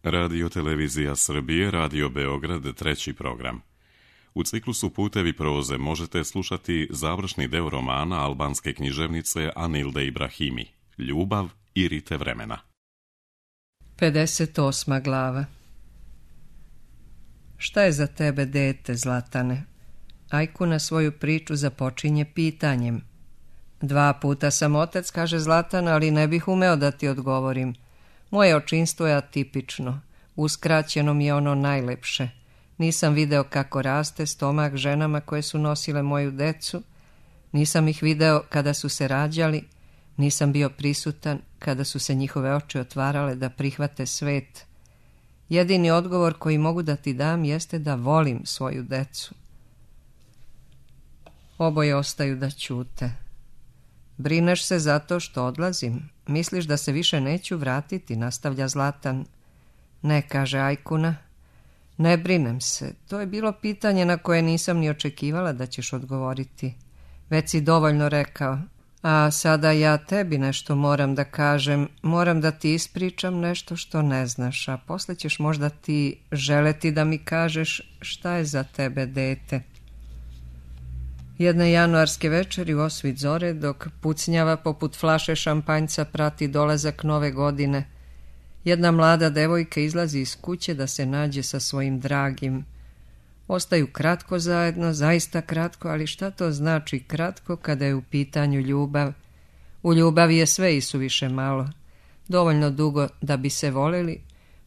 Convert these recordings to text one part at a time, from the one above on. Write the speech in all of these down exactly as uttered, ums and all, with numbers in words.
Radio Televizija Srbije, Radio Beograd, treći program. U ciklusu Putevi proze možete slušati završni deo romana albanske književnice Anilde Ibrahimi, Ljubav i rite vremena. pedeset osma glava. Šta je za tebe dete, Zlatane? Ajkuna svoju priču započinje pitanjem. Dva puta sam otac, kaže Zlatan, ali ne bih umeo da ti odgovorim. Moje očinstvo je atipično. Uskraćeno mi je ono najlepše. Nisam video kako raste stomak ženama koje su nosile moju decu. Nisam ih video kada su se rađali. Nisam bio prisutan kada su se njihove oči otvarale da prihvate svet. Jedini odgovor koji mogu da ti dam jeste da volim svoju decu. Oboje ostaju da ćute. Brineš se zato što odlazim? Misliš da se više neću vratiti, nastavlja Zlatan. Ne, kaže Ajkuna. Ne brinem se. To je bilo pitanje na koje nisam ni očekivala da ćeš odgovoriti. Već si dovoljno rekao. A sada ja tebi nešto moram da kažem. Moram da ti ispričam nešto što ne znaš, a posle ćeš možda ti želeti da mi kažeš šta je za tebe dete. Jedne januarske večeri u osvit zore, dok pucnjava poput flaše šampanjca prati dolazak nove godine, jedna mlada devojka izlazi iz kuće da se nađe sa svojim dragim. Ostaju kratko zajedno, zaista kratko, ali šta to znači kratko kada je u pitanju ljubav? U ljubavi je sve isuviše malo. Dovoljno dugo da bi se voleli,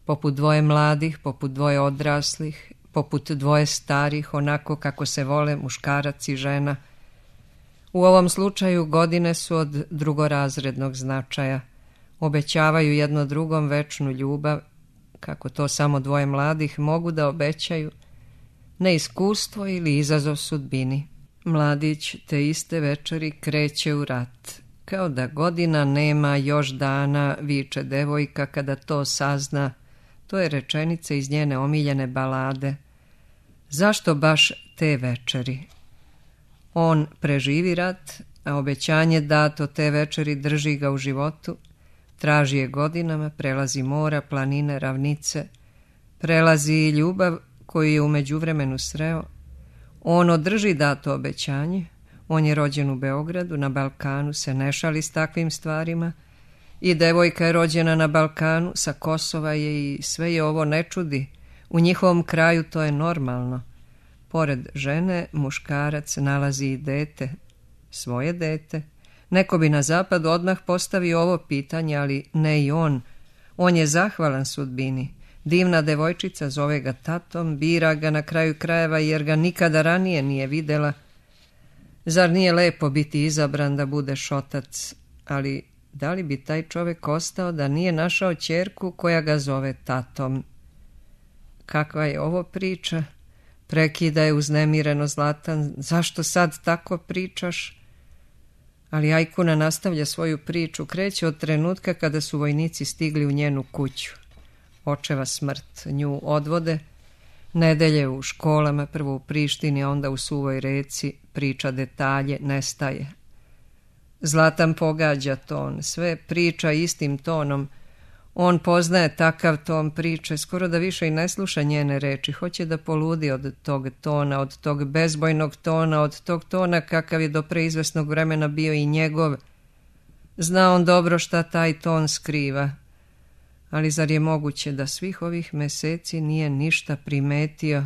poput dvoje mladih, poput dvoje odraslih, poput dvoje starih, onako kako se vole muškarac i žena. U ovom slučaju godine su od drugorazrednog značaja. Obećavaju jedno drugom večnu ljubav, kako to samo dvoje mladih mogu da obećaju, neiskustvo ili izazov sudbini. Mladić te iste večeri kreće u rat. Kao da godina nema još dana, viče devojka kada to sazna. To je rečenica iz njene omiljene balade. Zašto baš te večeri? On preživi rat, a obećanje dato te večeri drži ga u životu. Traži je godinama, prelazi mora, planine, ravnice. Prelazi i ljubav koju je u međuvremenu sreo. On održi dato obećanje. On je rođen u Beogradu, na Balkanu, se ne šali s takvim stvarima. I devojka je rođena na Balkanu, sa Kosova je i sve je ovo ne čudi. U njihovom kraju to je normalno. Pored žene, muškarac nalazi i dete, svoje dete. Neko bi na zapadu odmah postavio ovo pitanje, ali ne i on. On je zahvalan sudbini. Divna devojčica zove ga tatom, bira ga na kraju krajeva jer ga nikada ranije nije videla. Zar nije lepo biti izabran da budeš otac? Ali da li bi taj čovjek ostao da nije našao ćerku koja ga zove tatom? Kakva je ovo priča? Prekida je uznemireno Zlatan. Zašto sad tako pričaš? Ali Ajkuna nastavlja svoju priču. Kreće od trenutka kada su vojnici stigli u njenu kuću. Očeva smrt nju odvode. Nedelje u školama, prvo u Prištini, a onda u Suvoj Reci. Priča detalje, nestaje. Zlatan pogađa ton. Sve priča istim tonom. On poznaje takav ton priče, skoro da više i ne sluša njene reči. Hoće da poludi od tog tona, od tog bezbojnog tona, od tog tona kakav je do preizvesnog vremena bio i njegov. Zna on dobro šta taj ton skriva. Ali zar je moguće da svih ovih meseci nije ništa primetio?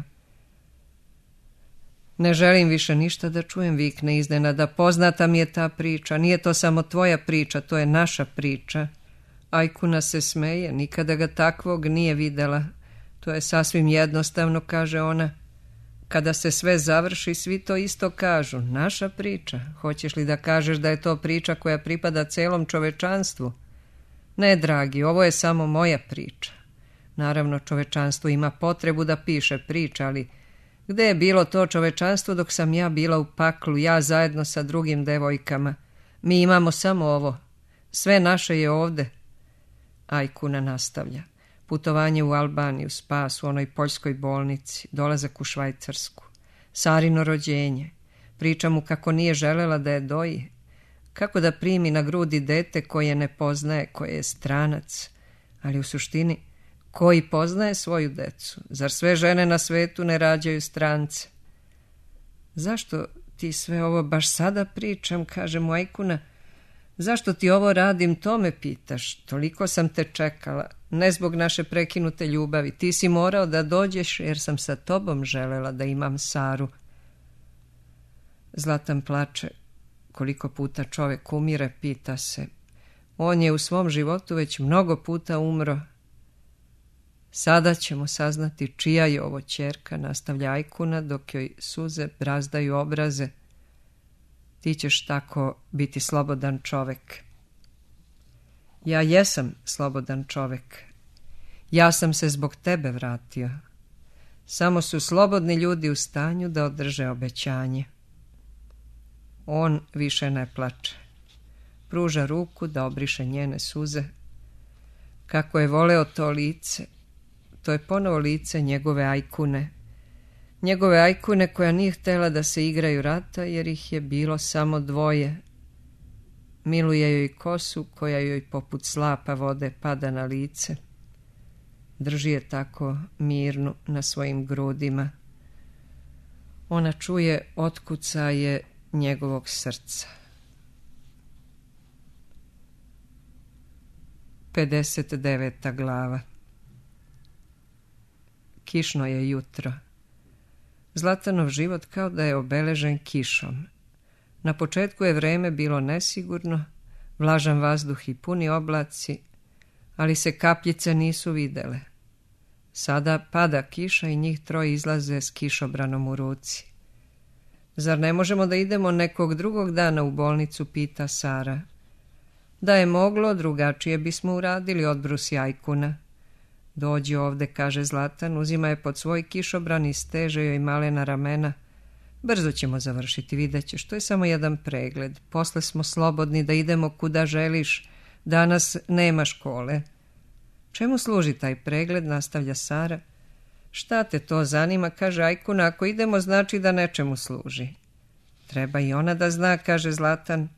Ne želim više ništa da čujem, vikne iznenada. Poznata mi je ta priča. Nije to samo tvoja priča, to je naša priča. Ajkuna se smeje, nikada ga takvog nije videla. To je sasvim jednostavno, kaže ona. Kada se sve završi, svi to isto kažu. Naša priča. Hoćeš li da kažeš da je to priča koja pripada celom čovečanstvu? Ne, dragi, ovo je samo moja priča. Naravno, čovečanstvo ima potrebu da piše priče, ali gde je bilo to čovečanstvo dok sam ja bila u paklu, ja zajedno sa drugim devojkama? Mi imamo samo ovo. Sve naše je ovde. Ajkuna nastavlja. Putovanje u Albaniju, spas u onoj poljskoj bolnici, dolazak u Švajcarsku, Sarino rođenje. Priča mu kako nije želela da je doji. Kako da primi na grudi dete koje ne poznaje, koje je stranac. Ali u suštini, Koji poznaje svoju decu? Zar sve žene na svetu ne rađaju strance? Zašto ti sve ovo baš sada pričam, kaže mu Ajkuna. Zašto ti ovo radim, to me pitaš. Toliko sam te čekala, ne zbog naše prekinute ljubavi. Ti si morao da dođeš jer sam sa tobom želela da imam Saru. Zlatan plače. Koliko puta čovek umire, pita se. On je u svom životu već mnogo puta umro. Sada ćemo saznati čija je ovo ćerka, nastavlja Ajkuna dok joj suze brazdaju obraze. Ti ćeš tako biti slobodan čovek. Ja jesam slobodan čovek. Ja sam se zbog tebe vratio. Samo su slobodni ljudi u stanju da održe obećanje. On više ne plače. Pruža ruku da obriše njene suze. Kako je voleo to lice, to je ponovo lice njegove Ajkune. Njegove Ajkune koja nije htjela da se igraju rata jer ih je bilo samo dvoje. Miluje joj kosu koja joj poput slapa vode pada na lice. Drži je tako mirnu na svojim grudima. Ona čuje otkucaje njegovog srca. pedeset deveta glava. Kišno je jutro. Zlatanov život kao da je obeležen kišom. Na početku je vreme bilo nesigurno, vlažan vazduh i puni oblaci, ali se kapljice nisu videle. Sada pada kiša i njih troje izlaze s kišobranom u ruci. Zar ne možemo da idemo nekog drugog dana u bolnicu, pita Sara. Da je moglo, drugačije bismo uradili, odbrusi Ajkuna. Dođi ovde, kaže Zlatan, uzima je pod svoj kišobran i steže joj malena ramena. Brzo ćemo završiti, vidjet ćeš, to je samo jedan pregled. Posle smo slobodni da idemo kuda želiš. Danas nema škole. Čemu služi taj pregled, nastavlja Sara. Šta te to zanima, kaže Ajkuna, ako idemo znači da nečemu služi. Treba i ona da zna, kaže Zlatan.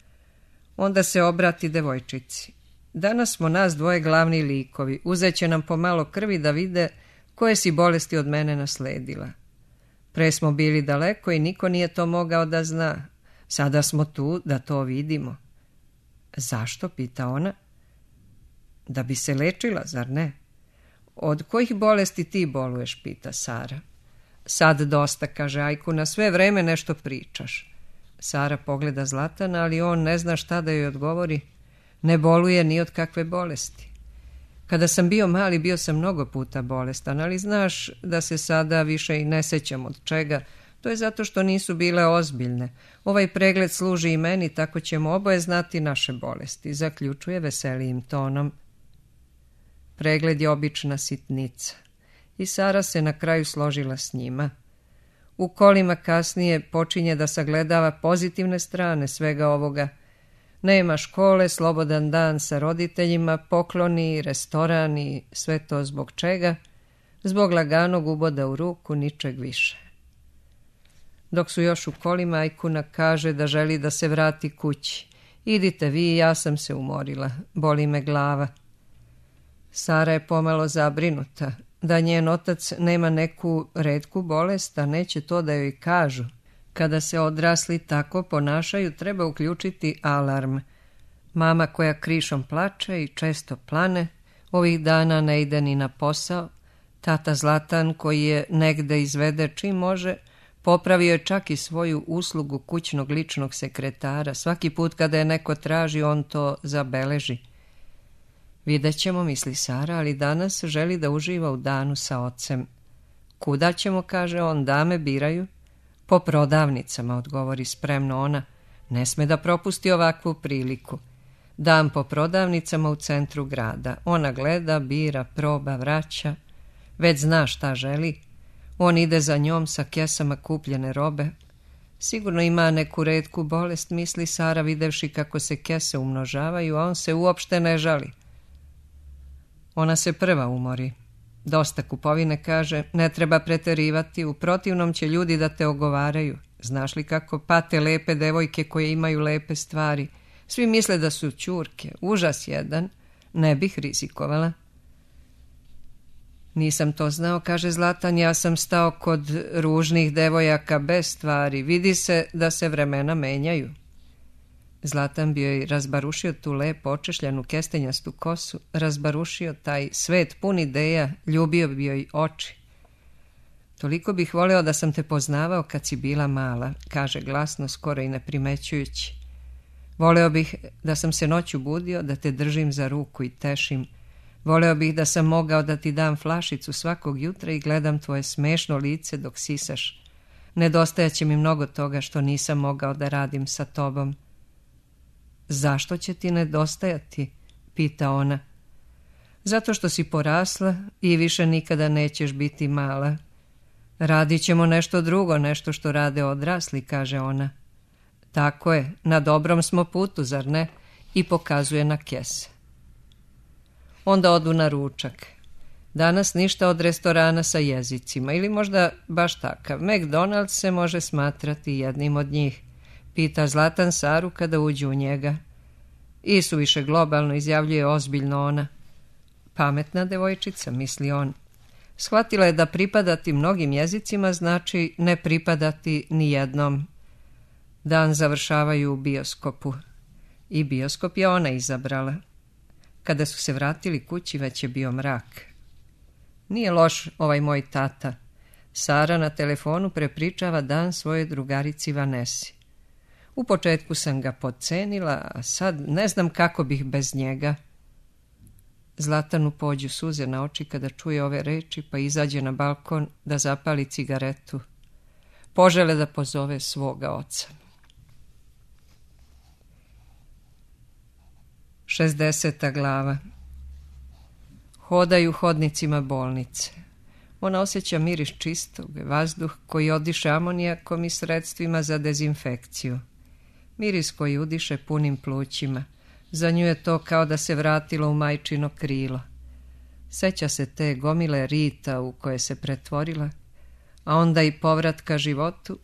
Onda se obrati devojčici. Danas smo nas dvoje glavni likovi. Uzet će nam pomalo krvi da vide koje si bolesti od mene nasledila. Pre smo bili daleko i niko nije to mogao da zna. Sada smo tu da to vidimo. Zašto, pita ona. Da bi se lečila, zar ne? Od kojih bolesti ti boluješ, pita Sara. Sad dosta, kaže Ajkuna, sve vreme nešto pričaš. Sara pogleda Zlatana, ali on ne zna šta da joj odgovori. Ne boluje ni od kakve bolesti. Kada sam bio mali, bio sam mnogo puta bolestan, ali znaš da se sada više i ne sećam od čega. To je zato što nisu bile ozbiljne. Ovaj pregled služi i meni, tako ćemo oboje znati naše bolesti, zaključuje veselijim tonom. Pregled je obična sitnica. I Sara se na kraju složila s njima. U kolima kasnije počinje da sagledava pozitivne strane svega ovoga. Nema škole, slobodan dan sa roditeljima, pokloni, restoran i sve to zbog čega? Zbog laganog uboda u ruku, ničeg više. Dok su još u kolima, Ajkuna kaže da želi da se vrati kući. Idite vi, ja sam se umorila, boli me glava. Sara je pomalo zabrinuta. Da njen otac nema neku retku bolest, a neće to da joj kažu. Kada se odrasli tako ponašaju, treba uključiti alarm. Mama koja krišom plače i često plane, ovih dana ne ide ni na posao. Tata Zlatan, koji je negde izvede čim može, popravio je čak i svoju uslugu kućnog ličnog sekretara. Svaki put kada je neko traži, on to zabeleži. Vidjet ćemo, misli Sara, ali danas želi da uživa u danu sa ocem. Kuda ćemo, kaže on, dame biraju? Po prodavnicama, odgovori spremno ona. Ne sme da propusti ovakvu priliku. Dan po prodavnicama u centru grada. Ona gleda, bira, proba, vraća. Već zna šta želi. On ide za njom sa kesama kupljene robe. Sigurno ima neku retku bolest, misli Sara, videvši kako se kese umnožavaju, a on se uopšte ne žali. Ona se prva umori. Dosta kupovine, kaže, ne treba preterivati, u protivnom će ljudi da te ogovaraju. Znaš li kako pate lepe devojke koje imaju lepe stvari? Svi misle da su ćurke, užas jedan, ne bih rizikovala. Nisam to znao, kaže Zlatan, ja sam stao kod ružnih devojaka bez stvari. Vidi se da se vremena menjaju. Zlatan bi joj razbarušio tu lepo očešljanu kestenjastu kosu, razbarušio taj svet pun ideja, ljubio bi joj oči. Toliko bih voleo da sam te poznavao kad si bila mala, kaže glasno, skoro i ne primećujući. Voleo bih da sam se noću budio, da te držim za ruku i tešim. Voleo bih da sam mogao da ti dam flašicu svakog jutra i gledam tvoje smešno lice dok sisaš. Nedostajaće mi mnogo toga što nisam mogao da radim sa tobom. Zašto će ti nedostajati? Pita ona. Zato što si porasla i više nikada nećeš biti mala. Radit ćemo nešto drugo, nešto što rade odrasli, kaže ona. Tako je, na dobrom smo putu, zar ne? I pokazuje na kese. Onda odu na ručak. Danas ništa od restorana sa jezicima, ili možda baš takav. McDonald's se može smatrati jednim od njih, pita Zlatan Saru kada uđu u njega. I suviše globalno, izjavljuje ozbiljno ona. Pametna devojčica, misli on. Shvatila je da pripadati mnogim jezicima znači ne pripadati ni jednom. Dan završavaju u bioskopu. I bioskop je ona izabrala. Kada su se vratili kući, već je bio mrak. Nije loš ovaj moj tata. Sara na telefonu prepričava dan svojoj drugarici Vanesi. U početku sam ga podcenila, a sad ne znam kako bih bez njega. Zlatanu pođu suze na oči kada čuje ove reči, pa izađe na balkon da zapali cigaretu. Požele da pozove svoga oca. šezdeseta glava. Hodaju hodnicima bolnice. Ona osjeća miris čistog, vazduh koji odiše amonijakom i sredstvima za dezinfekciju. Miris koji udiše punim plućima. Za nju je to kao da se vratilo u majčino krilo. Seća se te gomile rita u koje se pretvorila, a onda i povratka životu,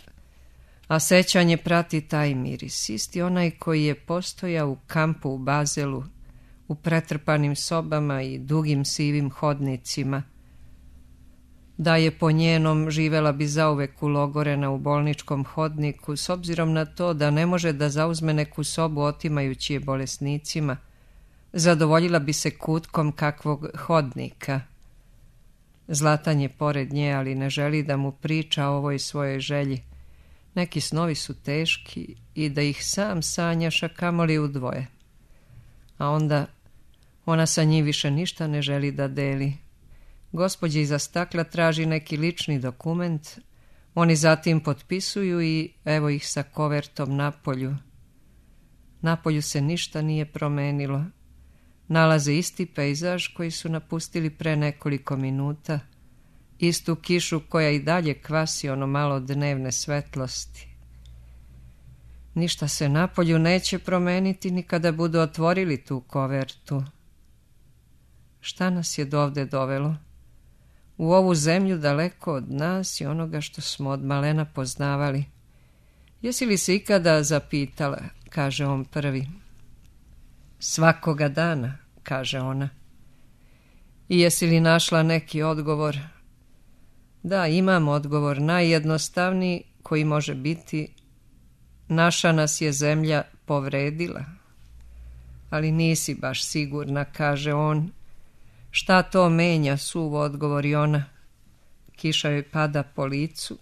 a sećanje prati taj miris, isti onaj koji je postojao u kampu u Bazelu, u pretrpanim sobama i dugim sivim hodnicima. Da je po njenom, živela bi zauvek ulogorena u bolničkom hodniku, s obzirom na to da ne može da zauzme neku sobu otimajući je bolesnicima. Zadovoljila bi se kutkom kakvog hodnika. Zlatan je pored nje, ali ne želi da mu priča o ovoj svojoj želji. Neki snovi su teški i da ih sam sanjaš, a kamoli udvoje. A onda ona sa njim više ništa ne želi da deli. Gospođa iza stakla traži neki lični dokument, oni zatim potpisuju i evo ih sa kovertom napolju. Napolju se ništa nije promenilo. Nalaze isti pejzaž koji su napustili pre nekoliko minuta, istu kišu koja i dalje kvasi ono malo dnevne svetlosti. Ništa se napolju neće promeniti ni kada budu otvorili tu kovertu. Šta nas je dovde dovelo? U ovu zemlju daleko od nas i onoga što smo od malena poznavali. Jesi li se ikada zapitala, kaže on prvi. Svakoga dana, kaže ona. I jesi li našla neki odgovor? Da, imam odgovor, najjednostavniji koji može biti: naša nas je zemlja povredila. Ali nisi baš sigurna, kaže on. Šta to menja, suvo odgovori ona. Kiša joj pada po licu.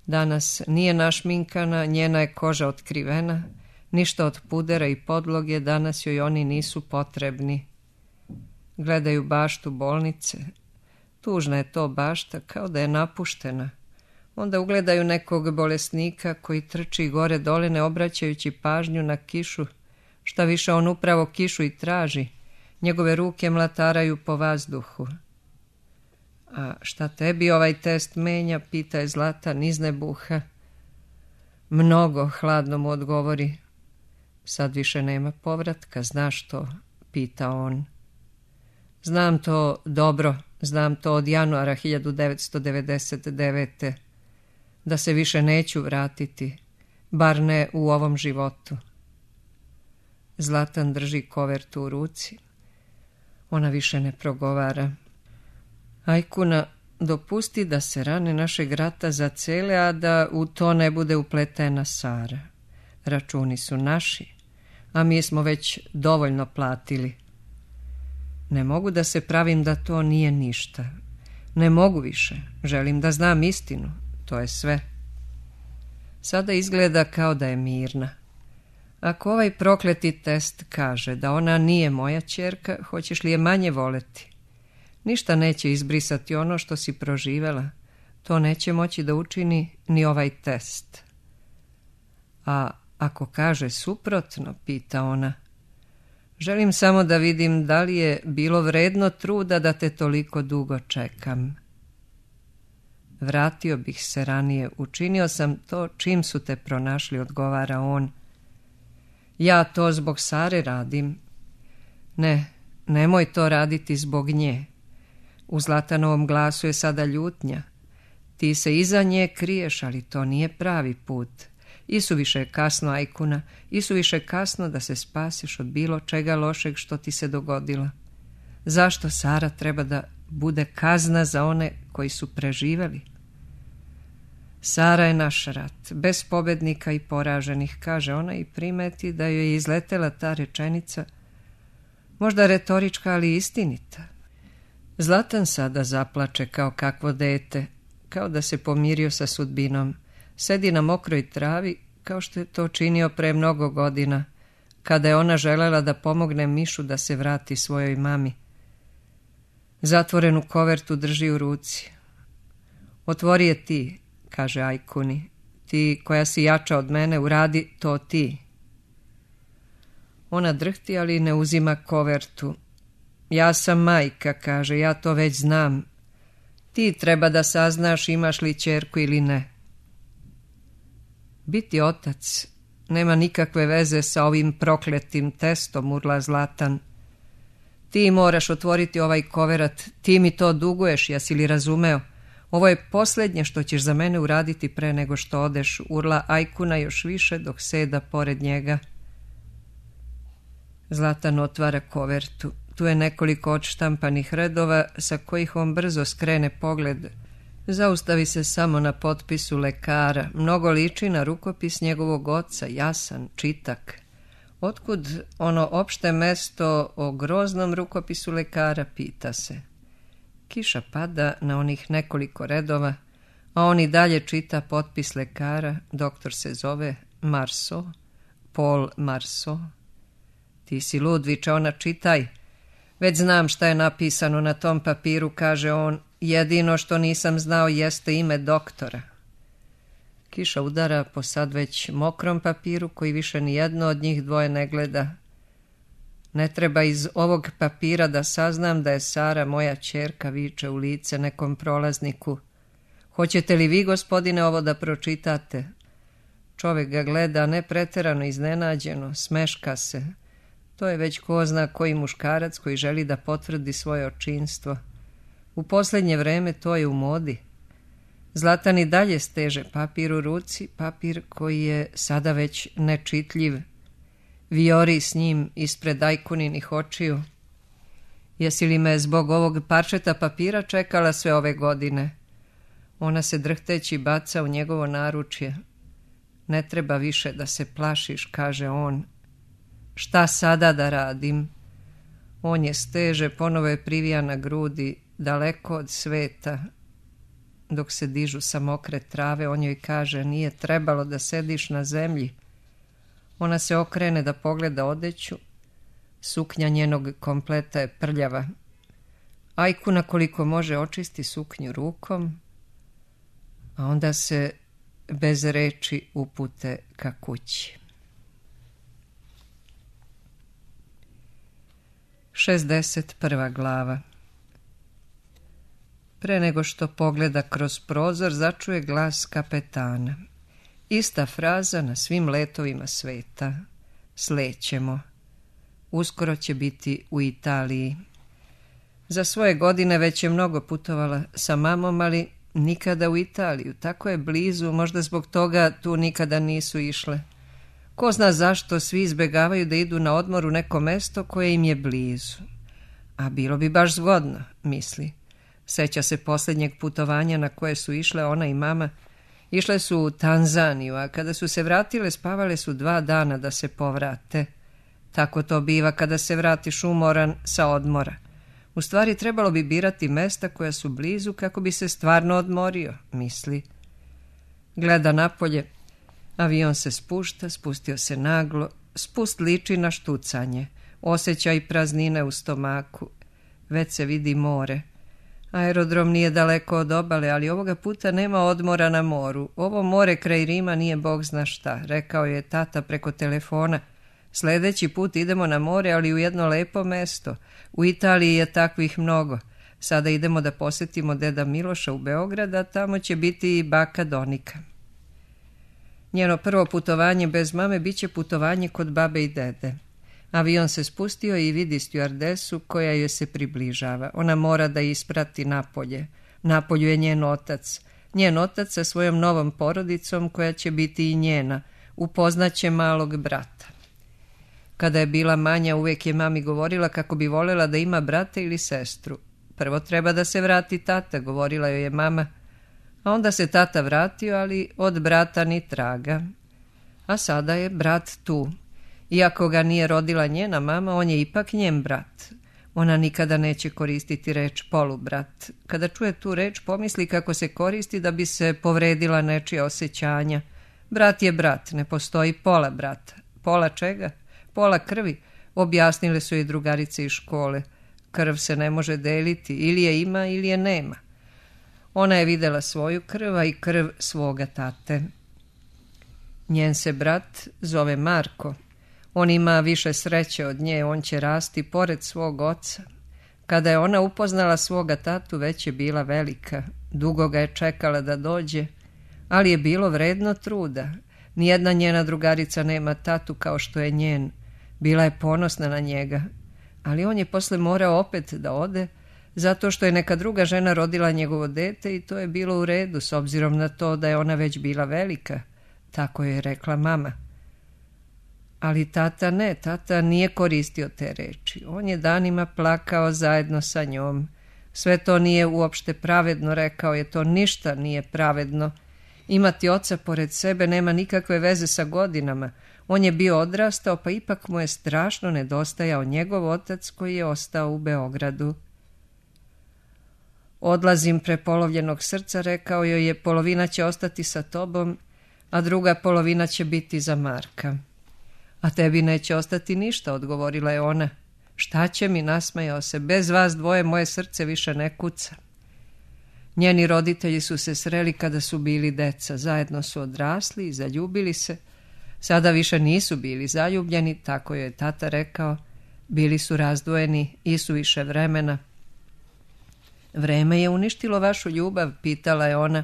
Danas nije našminkana, njena je koža otkrivena, ništa od pudera i podloge, danas joj oni nisu potrebni. Gledaju baštu bolnice. Tužna je to bašta, kao da je napuštena. Onda ugledaju nekog bolesnika koji trči gore dole ne obraćajući pažnju na kišu. Šta više, on upravo kišu i traži. Njegove ruke mlataraju po vazduhu. A šta tebi ovaj test menja, pita je Zlatan iz nebuha. Mnogo, hladno mu odgovori. Sad više nema povratka, znaš to, pita on. Znam to dobro, znam to od januara hiljadu devetsto devedeset devete. Da se više neću vratiti, bar ne u ovom životu. Zlatan drži kovertu u ruci. Ona više ne progovara. Ajkuna, dopusti da se rane našeg rata zacele, a da u to ne bude upletena Sara. Računi su naši, a mi smo već dovoljno platili. Ne mogu da se pravim da to nije ništa. Ne mogu više. Želim da znam istinu. To je sve. Sada izgleda kao da je mirna. Ako ovaj prokleti test kaže da ona nije moja ćerka, hoćeš li je manje voleti? Ništa neće izbrisati ono što si proživela. To neće moći da učini ni ovaj test. A ako kaže suprotno, pita ona, želim samo da vidim da li je bilo vredno truda da te toliko dugo čekam. Vratio bih se ranije, učinio sam to čim su te pronašli, odgovara on. Ja to zbog Sare radim. Ne, nemoj to raditi zbog nje. U Zlatanovom glasu je sada ljutnja. Ti se iza nje kriješ, ali to nije pravi put. Isuviše je kasno, Ajkuna, isuviše je kasno da se spasiš od bilo čega lošeg što ti se dogodilo. Zašto Sara treba da bude kazna za one koji su preživeli? Sara je naš rat, bez pobednika i poraženih, kaže ona i primeti da joj je izletela ta rečenica, možda retorička, ali istinita. Zlatan sada zaplače kao kakvo dete, kao da se pomirio sa sudbinom. Sedi na mokroj travi, kao što je to činio pre mnogo godina, kada je ona želela da pomogne Mišu da se vrati svojoj mami. Zatvorenu kovertu drži u ruci. Otvori je ti, kaže Ajkuni. Ti koja si jača od mene, uradi to ti. Ona drhti, ali ne uzima kovertu. Ja sam majka, kaže, ja to već znam. Ti treba da saznaš imaš li ćerku ili ne. Biti otac nema nikakve veze sa ovim prokletim testom, urla Zlatan. Ti moraš otvoriti ovaj koverat, ti mi to duguješ, jesi li razumeo? Ovo je posljednje što ćeš za mene uraditi pre nego što odeš, urla Ajkuna još više dok seda pored njega. Zlatan otvara kovertu. Tu je nekoliko odštampanih redova sa kojih on brzo skrene pogled. Zaustavi se samo na potpisu lekara. Mnogo liči na rukopis njegovog oca, jasan, čitak. Otkud ono opšte mesto o groznom rukopisu lekara, pita se. Kiša pada na onih nekoliko redova, a on i dalje čita potpis lekara. Doktor se zove Marceau, Paul Marceau. Ti si lud, viče ona, čitaj. Već znam šta je napisano na tom papiru, kaže on. Jedino što nisam znao jeste ime doktora. Kiša udara po sad već mokrom papiru koji više ni jedno od njih dvoje ne gleda. Ne treba iz ovog papira da saznam da je Sara moja ćerka, viče u lice nekom prolazniku. Hoćete li vi, gospodine, ovo da pročitate? Čovjek ga gleda ne preterano iznenađeno, smeška se. To je već ko zna koji muškarac koji želi da potvrdi svoje očinstvo. U posljednje vreme to je u modi. Zlatan i dalje steže papir u ruci, papir koji je sada već nečitljiv. Vijori s njim ispred Ajkuninih očiju. Jesi li me zbog ovog parčeta papira čekala sve ove godine? Ona se drhteći baca u njegovo naručje. Ne treba više da se plašiš, kaže on. Šta sada da radim? On je steže, ponovo je privija na grudi, daleko od sveta. Dok se dižu sa mokre trave, on joj kaže, nije trebalo da sediš na zemlji. Ona se okrene da pogleda odeću. Suknja njenog kompleta je prljava. Ajkuna koliko može očisti suknju rukom, a onda se bez reči upute ka kući. šezdeset prva glava. Pre nego što pogleda kroz prozor, začuje glas kapetana. Ista fraza na svim letovima sveta. Slećemo. Uskoro će biti u Italiji. Za svoje godine već je mnogo putovala sa mamom, ali nikada u Italiju. Tako je blizu, možda zbog toga tu nikada nisu išle. Ko zna zašto svi izbegavaju da idu na odmor u neko mesto koje im je blizu. A bilo bi baš zgodno, misli. Seća se posljednjeg putovanja na koje su išle ona i mama. Išle su u Tanzaniju, a kada su se vratile spavale su dva dana da se povrate. Tako to biva kada se vratiš umoran sa odmora. U stvari trebalo bi birati mesta koja su blizu kako bi se stvarno odmorio, misli. Gleda napolje. Avion se spušta, spustio se naglo. Spust liči na štucanje. Osjeća i praznine u stomaku. Već se vidi more. Aerodrom nije daleko od obale, ali ovoga puta nema odmora na moru. Ovo more kraj Rima nije bog zna šta, rekao je tata preko telefona. Sljedeći put idemo na more, ali u jedno lepo mesto. U Italiji je takvih mnogo. Sada idemo da posjetimo deda Miloša u Beograd, a tamo će biti i baka Donika. Njeno prvo putovanje bez mame bit će putovanje kod babe i dede. Avion se spustio i vidi stjuardesu koja joj se približava. Ona mora da isprati napolje. Napolju je njen otac. Njen otac sa svojom novom porodicom koja će biti i njena. Upoznaće malog brata. Kada je bila manja, uvijek je mami govorila kako bi voljela da ima brata ili sestru. Prvo treba da se vrati tata, govorila joj je mama. A onda se tata vratio, ali od brata ni traga. A sada je brat tu. Iako ga nije rodila njena mama, on je ipak njen brat. Ona nikada neće koristiti reč polubrat. Kada čuje tu reč, pomisli kako se koristi da bi se povredila nečija osjećanja. Brat je brat, ne postoji pola brata. Pola čega? Pola krvi, objasnile su i drugarice iz škole. Krv se ne može deliti, ili je ima ili je nema. Ona je videla svoju krv, a i krv svoga tate. Njen se brat zove Marko. On ima više sreće od nje, on će rasti pored svog oca. Kada je ona upoznala svoga tatu, već je bila velika. Dugo ga je čekala da dođe, ali je bilo vredno truda. Nijedna njena drugarica nema tatu kao što je njen. Bila je ponosna na njega, ali on je posle morao opet da ode, zato što je neka druga žena rodila njegovo dete i to je bilo u redu, s obzirom na to da je ona već bila velika. Tako je rekla mama. Ali tata ne, tata nije koristio te reči. On je danima plakao zajedno sa njom. Sve to nije uopšte pravedno, rekao je, to ništa nije pravedno. Imati oca pored sebe nema nikakve veze sa godinama. On je bio odrastao, pa ipak mu je strašno nedostajao njegov otac koji je ostao u Beogradu. Odlazim prepolovljenog srca, rekao joj je, polovina će ostati sa tobom, a druga polovina će biti za Marka. A tebi neće ostati ništa, odgovorila je ona. Šta će mi, nasmejao se, bez vas dvoje moje srce više ne kuca. Njeni roditelji su se sreli kada su bili deca, zajedno su odrasli i zaljubili se. Sada više nisu bili zaljubljeni, tako joj je tata rekao. Bili su razdvojeni i su više vremena. Vreme je uništilo vašu ljubav, pitala je ona.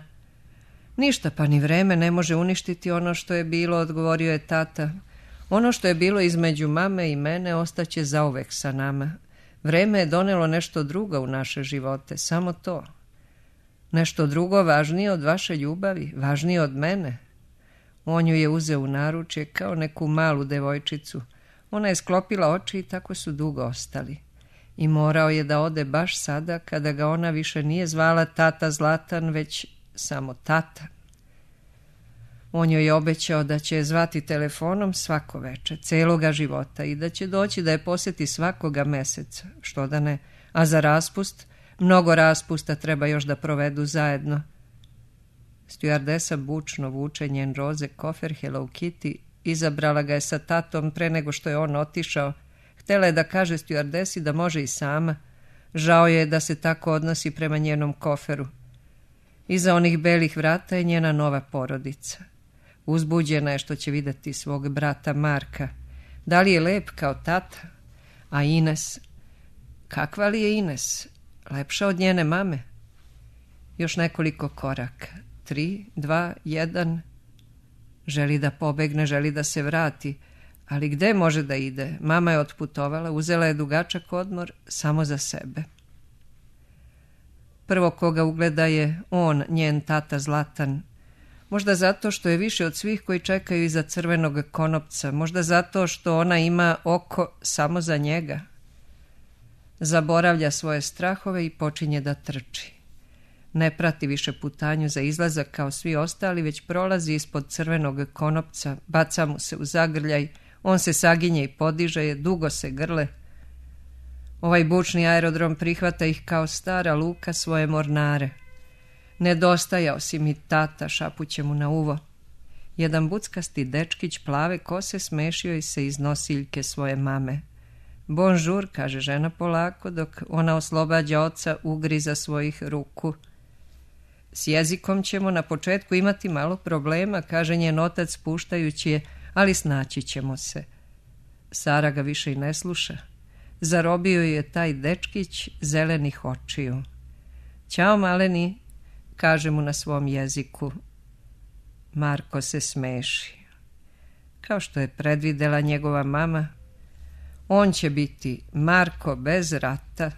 Ništa, pa ni vreme ne može uništiti ono što je bilo, odgovorio je tata. Ono što je bilo između mame i mene ostaće zauvek sa nama. Vreme je donelo nešto drugo u naše živote, samo to. Nešto drugo važnije od vaše ljubavi, važnije od mene. On ju je uzeo u naručje kao neku malu devojčicu. Ona je sklopila oči i tako su dugo ostali. I morao je da ode baš sada kada ga ona više nije zvala tata Zlatan, već samo tata. On joj je obećao da će je zvati telefonom svako veče, celoga života i da će doći da je posjeti svakoga meseca, što da ne, a za raspust, mnogo raspusta treba još da provedu zajedno. Stjuardesa bučno vuče njen roze kofer Hello Kitty, izabrala ga je sa tatom pre nego što je on otišao. Htela je da kaže stjuardesi da može i sama. Žao je da se tako odnosi prema njenom koferu. Iza onih belih vrata je njena nova porodica. Uzbuđena je što će vidjeti svog brata Marka. Da li je lep kao tata? A Ines? Kakva li je Ines? Lepša od njene mame? Još nekoliko koraka. Tri, dva, jedan. Želi da pobegne, želi da se vrati. Ali gde može da ide? Mama je otputovala, uzela je dugačak odmor samo za sebe. Prvo koga ugleda je on, njen tata Zlatan. Možda zato što je više od svih koji čekaju iza crvenog konopca. Možda zato što ona ima oko samo za njega. Zaboravlja svoje strahove i počinje da trči. Ne prati više putanju za izlazak kao svi ostali, već prolazi ispod crvenog konopca, baca mu se u zagrljaj, on se saginje i podiže, dugo se grle. Ovaj bučni aerodrom prihvata ih kao stara luka svoje mornare. Nedostajao si mi, tata, šapuće mu na uvo. Jedan buckasti dečkić plave kose smešio se iz nosiljke svoje mame. Bonžur, kaže žena polako, dok ona oslobađa oca ugriza svojih ruku. S jezikom ćemo na početku imati malo problema, kaže njen otac spuštajući je, ali snaći ćemo se. Sara ga više i ne sluša. Zarobio je taj dečkić zelenih očiju. Ćao, maleni, kaže mu na svom jeziku. Marko se smeši. Kao što je predvidela njegova mama, on će biti Marko bez rata,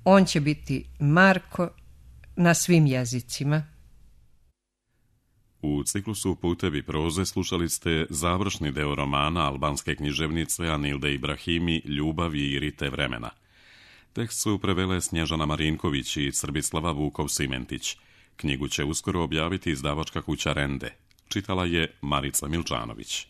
on će biti Marko na svim jezicima. U ciklusu Putevi proze slušali ste završni deo romana albanske književnice Anilde Ibrahimi Ljubavi i rite vremena. Tekst su prevele Snježana Marinković i Srbislava Vukov-Simentić. Knjigu će uskoro objaviti izdavačka kuća Rende. Čitala je Marica Milčanović.